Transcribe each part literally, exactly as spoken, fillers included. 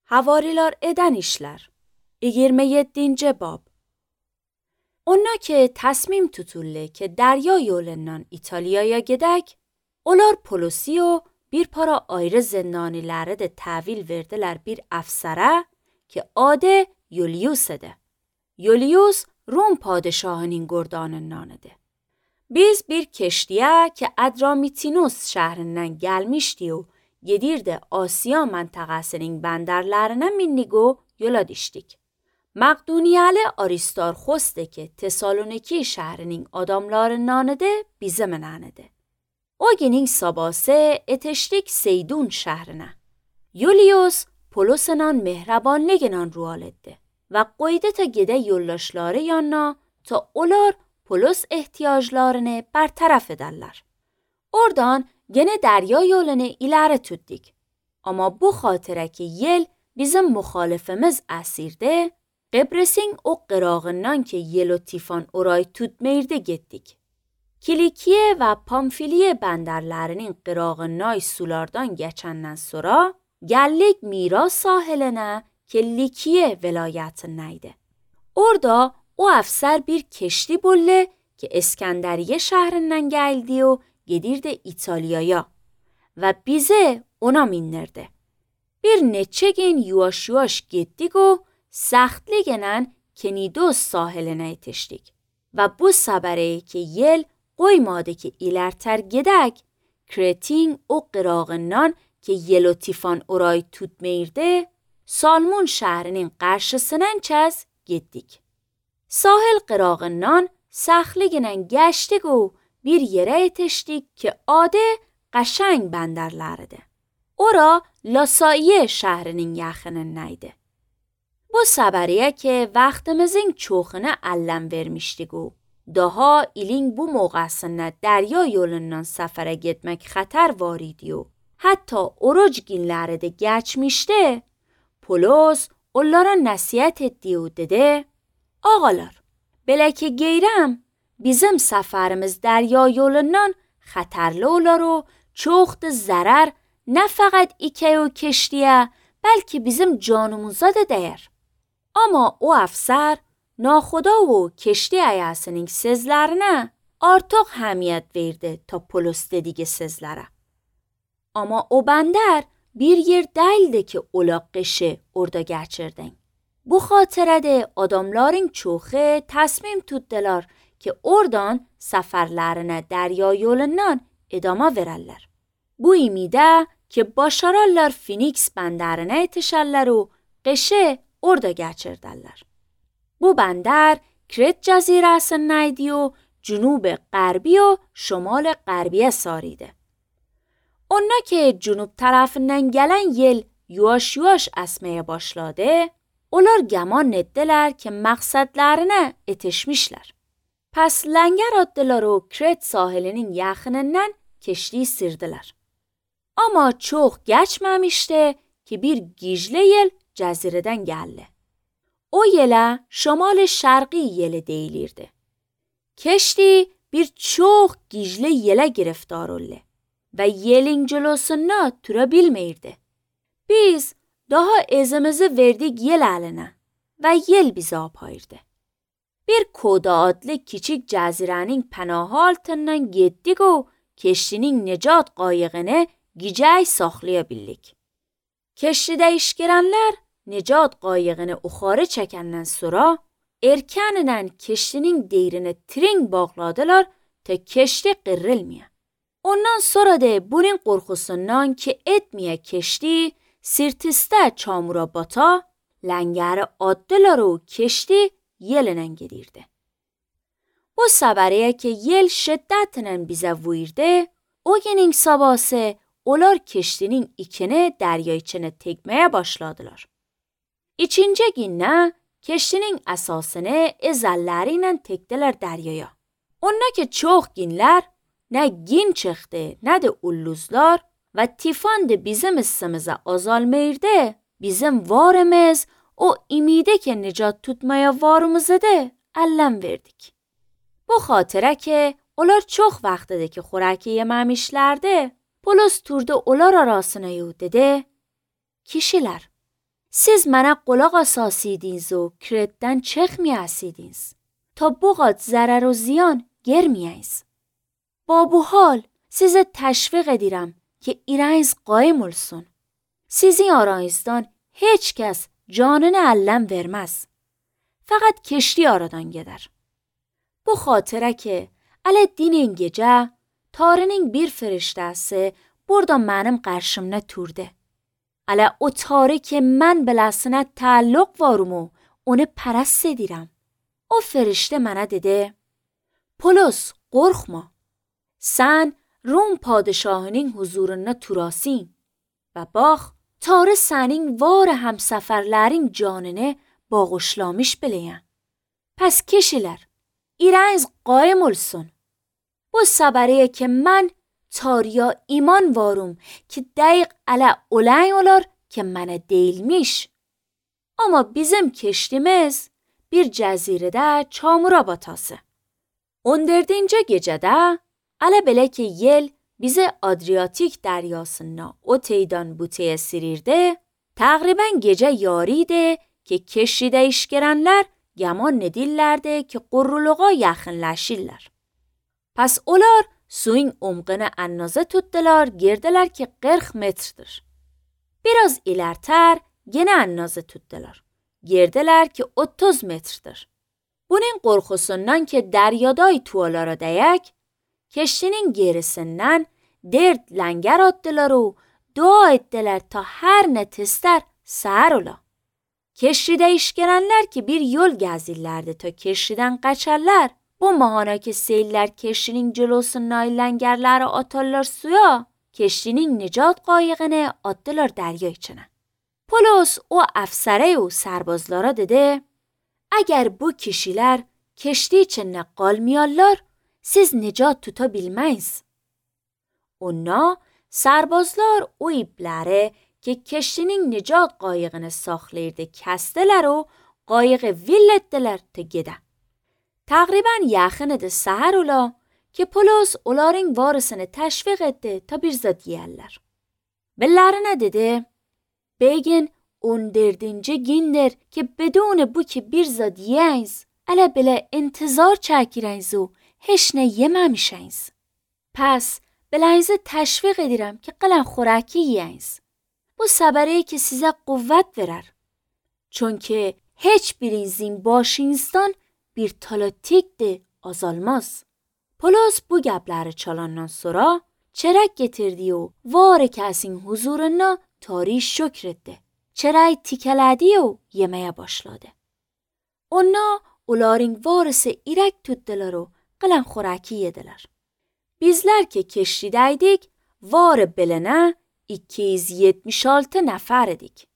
Havariler eden işler. yirmi yedinci bab. Onlar ki tasmim tutulle ki derya yolundan İtalya'ya gidek, onlar polisi و bir para ayrı zindanileri de tahvil verdiler bir افسره که adı یولیوس'ده. یولیوس روم padişahının gurdanındanıdı. Biz bir keştiye ki Adramitinos şehrinden gelmişti و gedirdi Asya menteqesinin benderlerine minnigo yola düştük. Maqduniyalı Aristarxos'de ki Tesaloniki şehrinin adamlarındanıdı bize menanıdı. O günün sabahı etiştik Seydun şehrine. Yulius Polus'un mehrabanlığından ruhal etti ve qoydu ta gide yollaşları yanına ta olar Polus ihtiyaclarını bertaraf ederler. Oradan gene derya yolunu ileri tuttuk. Ama bu xatıra ki yel bizim muhalifimiz esirde, Qibris'in o qırağından ki yel و tifan orayı tutmayırdı gittik. Kilikiye ve Pamfiliye benderlerinin qırağından sulardan geçenden sonra, geldik Miras sahiline ki Likiye velayetindeydi. Orada o افسر bir keşti bulle ki İskenderiye şehrinden geldi و gedirdi İtalya'ya ve bize ona mindirdi. Bir neçe gün yuvaş yuvaş gittik و saxtliğinden Kenidos sahiline yetiştik ve bu sabere ki yel qoymadı ki ilerter gidek, Kretin o qırağından ki yel و tifan orayı tutmayırdı, Salmon şehrinin karşısından çez gittik. Sahil qırağından saxtliğinden geçtik و bir yere yetiştik ki adı قشنگ benderlerdi. Ora Lasaiye şehrinin yaxınındaydı. Bu sabariye ki vaxtimizin çoxunu ələm vermişdik و daha ilin bu موقعsında derya yolundan sefere gitmek xatar varidi و hatta oruç günleri de geçmişti. Polos onlara nasihat etti و dedi: Ağalar, belə ki geyrəm, bizim seferimiz derya yolundan xatarlı olar و çoxdu zarar ne faqat iki و keştiye belki bizim canımıza da değer. Ama o افسر naxuda و keşti ayasının sözlerine artıq həmiyyət verdi ta Polos dediği sözlere. Ama o bender bir yer değildi ki ola qışı orada geçirdin. Bu xatirədə adamların çoxu təsmim tutdular ki oradan səfərlərinə dərya yolundan idama verərlər. Bu imidə ki başararlar Phoenix bəndərinə yetişərlər و qışı orada geçirdərlər. Bu bəndər Kret cəzirəsindəydi و cünub غربی و şumal غرbiyə sarıydı. Onlar ki cünub tərəfindən gələn yel yuvaş yuvaş əsməyə başladı, onlar gəman etdilər ki məqsədlərinə yetişmişlər. Pes لنگر atdılar و Kret sahilinin yaxınından keştiyi sirdiler. Ama çok geçmemişti ki bir gicli yel cəzirədən gəldi. O yelə şamal şərqi yeli deyilirdi. Keşti bir çox gicli yelə giriftar oldu ve yelin cülosuna tura bilmeyirdi. Biz daha ezimizi verdik yel əlinə ve yel bizi apayırdı. Bir Koda adlı küçük cəzirənin pənahı altından getdik و keştinin necat qayığını gicəy saxlayabildik. Keştidə iş görənlər necat qayığını uxarı çəkəndən sonra erkənlə keştinin deyrini tring bağladılar ta keşti qırılmaya. Ondan sonra da bunun qorxusundan ki etməyə keşti sirtistə çamura bata, ləngəri atdılar و keşti yelinen gedirdi. Bu səbəriyə ki yel şiddətlə bizə vurdu, o günün sabahı onlar keştinin ikini derya içine tekmeye başladılar. İkinci günə keştinin əsasını əzəlləriyle tekdiler deryaya. Onlar ki çox günlər nə gün çıxdı, nə də ulluzlar və tifan da bizim ısımıza azalmayırdı, bizim varımız o imide ki necat tutmaya varımızı da ələm verdik. Bu xatirə ki onlar çox vaxtıdır ki xorəki yeməmişlərdi, Polos turdu onlar arasına yu dedi: Kişilər, Siz mana qulaq asasıydınız o kiretten çıkmayasıydınız. Ta bu qat zarar و ziyan germeyiniz. با bu hal size təşviq edirəm ki irəniz qaim olsun. Sizin aranızdan heç kəs canını ələm verməz. Fəqət keşli aradan gedər. Bu xatirə ki, ələ dinin gecə, tarinin bir firiştəsi burada mənim qarşımda turdu. Ələ o tarı ki mən beləsinə təalluq varım o, onu pərəst edirəm. O firiştə mənə dedi, Polos, qorxma. Sən Rum padişahının huzuruna turasın və bax, tarı sənin var həmsəfərlərin canını bağışlamış biləyən. Pəs keşilər, irəniz qaim olsun. Bu səbəriyə ki mən tarıya iman varım ki dəqiq ələ olən olar ki mənə deyilmiş. Amma bizim keşdimiz bir cəzirədə çamura batası. on dördüncü gecədə ələ belə ki yel bizi Adriyatik dəryasından o teydən bu teye sirirdi, təqribən gecə yarıydı ki keşidə iş görənlər gəman edirlərdi ki qurruluğa yaxınlaşırlar. Pəs onlar suyun umqını ənazə tutdular, girdilər ki qırx metrdir. Biraz ilərtər yenə ənazə tutdular. Girdilər ki otuz metrdir. Bunun qorxusundan ki dəryaday tualara dəyək, keştinin gerisindən dert ləngər atdılar o dua etdilər ta hər nə testər səhər ola. Keşidə iş görənlər ki bir yol gəzirlərdi ta keşidən qaçarlar. Bu mahana ki seyirlər keşinin cülosundan ləngərləri atarlar suya, keşinin nicat qayıqını atdılar dərya içinə. Polos o əfsərə o sərbazlara dedi, əgər bu kişilər keşdi içində qalmayarlar, siz nicat tuta bilməyiz. Ona sərbazlar o ipləri ki keşinin nicat qayıqını saxlayırdı kəstilər o qayıqı vill etdilər ta gedə. Təqribən yaxın idi səhər ola ki Polos onların varısını təşviq etdi ta bir zad yiyərlər. Bellərinə dedi, Begin on dördüncü gündür ki بدون bu ki bir zad yiyəyiz, ələ belə intizar çəkirəyiz o heç nə yeməmişəyiz. Pəs beləyinizi təşviq edirəm ki qələn xorəki yiyəyiz. Bu səbəriyə ki sizə quvvət verər. Çünki heç birinizin başınızdan bir talatikdir azalmaz. Polos bu gəbləri çalandan sonra çərək getirdi o var kəsin huzuruna tari şükr etdi. Çərəyi tikələdi o yeməyə başladı. Ona onların varısı irək tutdular o qələn xorəki yedilər. Bizlər ki keşidəydik varı belənə iki yüz yetmiş altı nəfər idik.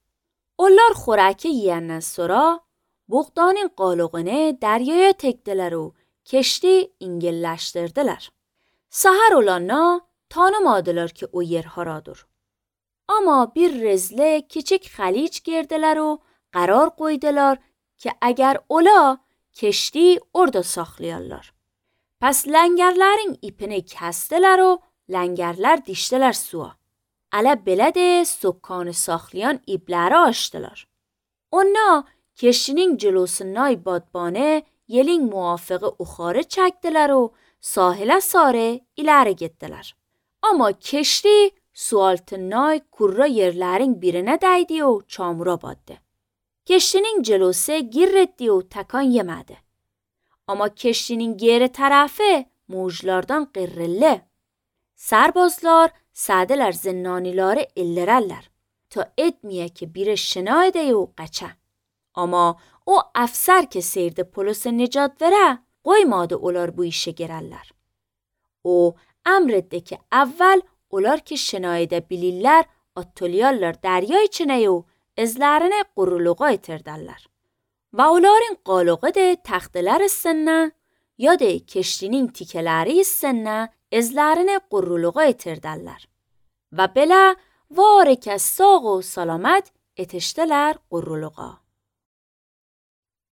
Onlar xorəki yiyəndən sonra buğdanın qalıqını dəryaya təkdilər o keşdi ingilləşdirdilər. Səhər olana tanımadılar ki o yer haradır. Amma bir rezlə kiçik xəlic girdilər o qərar qoydular ki əgər ola keşdi orada saxlayarlar. Pəs ləngərlərin ipini kəsdilər o ləngərlər dişdilər suya. Ələ belə də sokkanı saxlayan ipləri açdılar. Ona keşinin cülosundan badbanə yelin muvafiqi uxarı çəkdilər o sahilə sarı iləri getdilər. Amma keşdi su altından kurra yerlərin birinə dəydi o çamura batdı. Keşinin cülosu gir etdi o təkan yemədi. Amma keşinin geri tərəfi mujlardan qırrıllı. Sərbazlar sədilər zinnaniləri illərərlər ta etməyə ki biri şina edə o qaça. Amma o əfsər ki seyirdi Polosu nicat verə qoymadı onlar bu işe girərlər. O əmr etdi ki əvvəl onlar ki şina edə bilirlər atılıyarlar dərya içinə o izlərini quruluğa itirdərlər. Və onların qalığı da təxtələr üstünə ya da keşdinin tikələri üstünə izlərini quruluğa itirdərlər. Və belə var ki sağ و سلامت etişdilər quruluğa.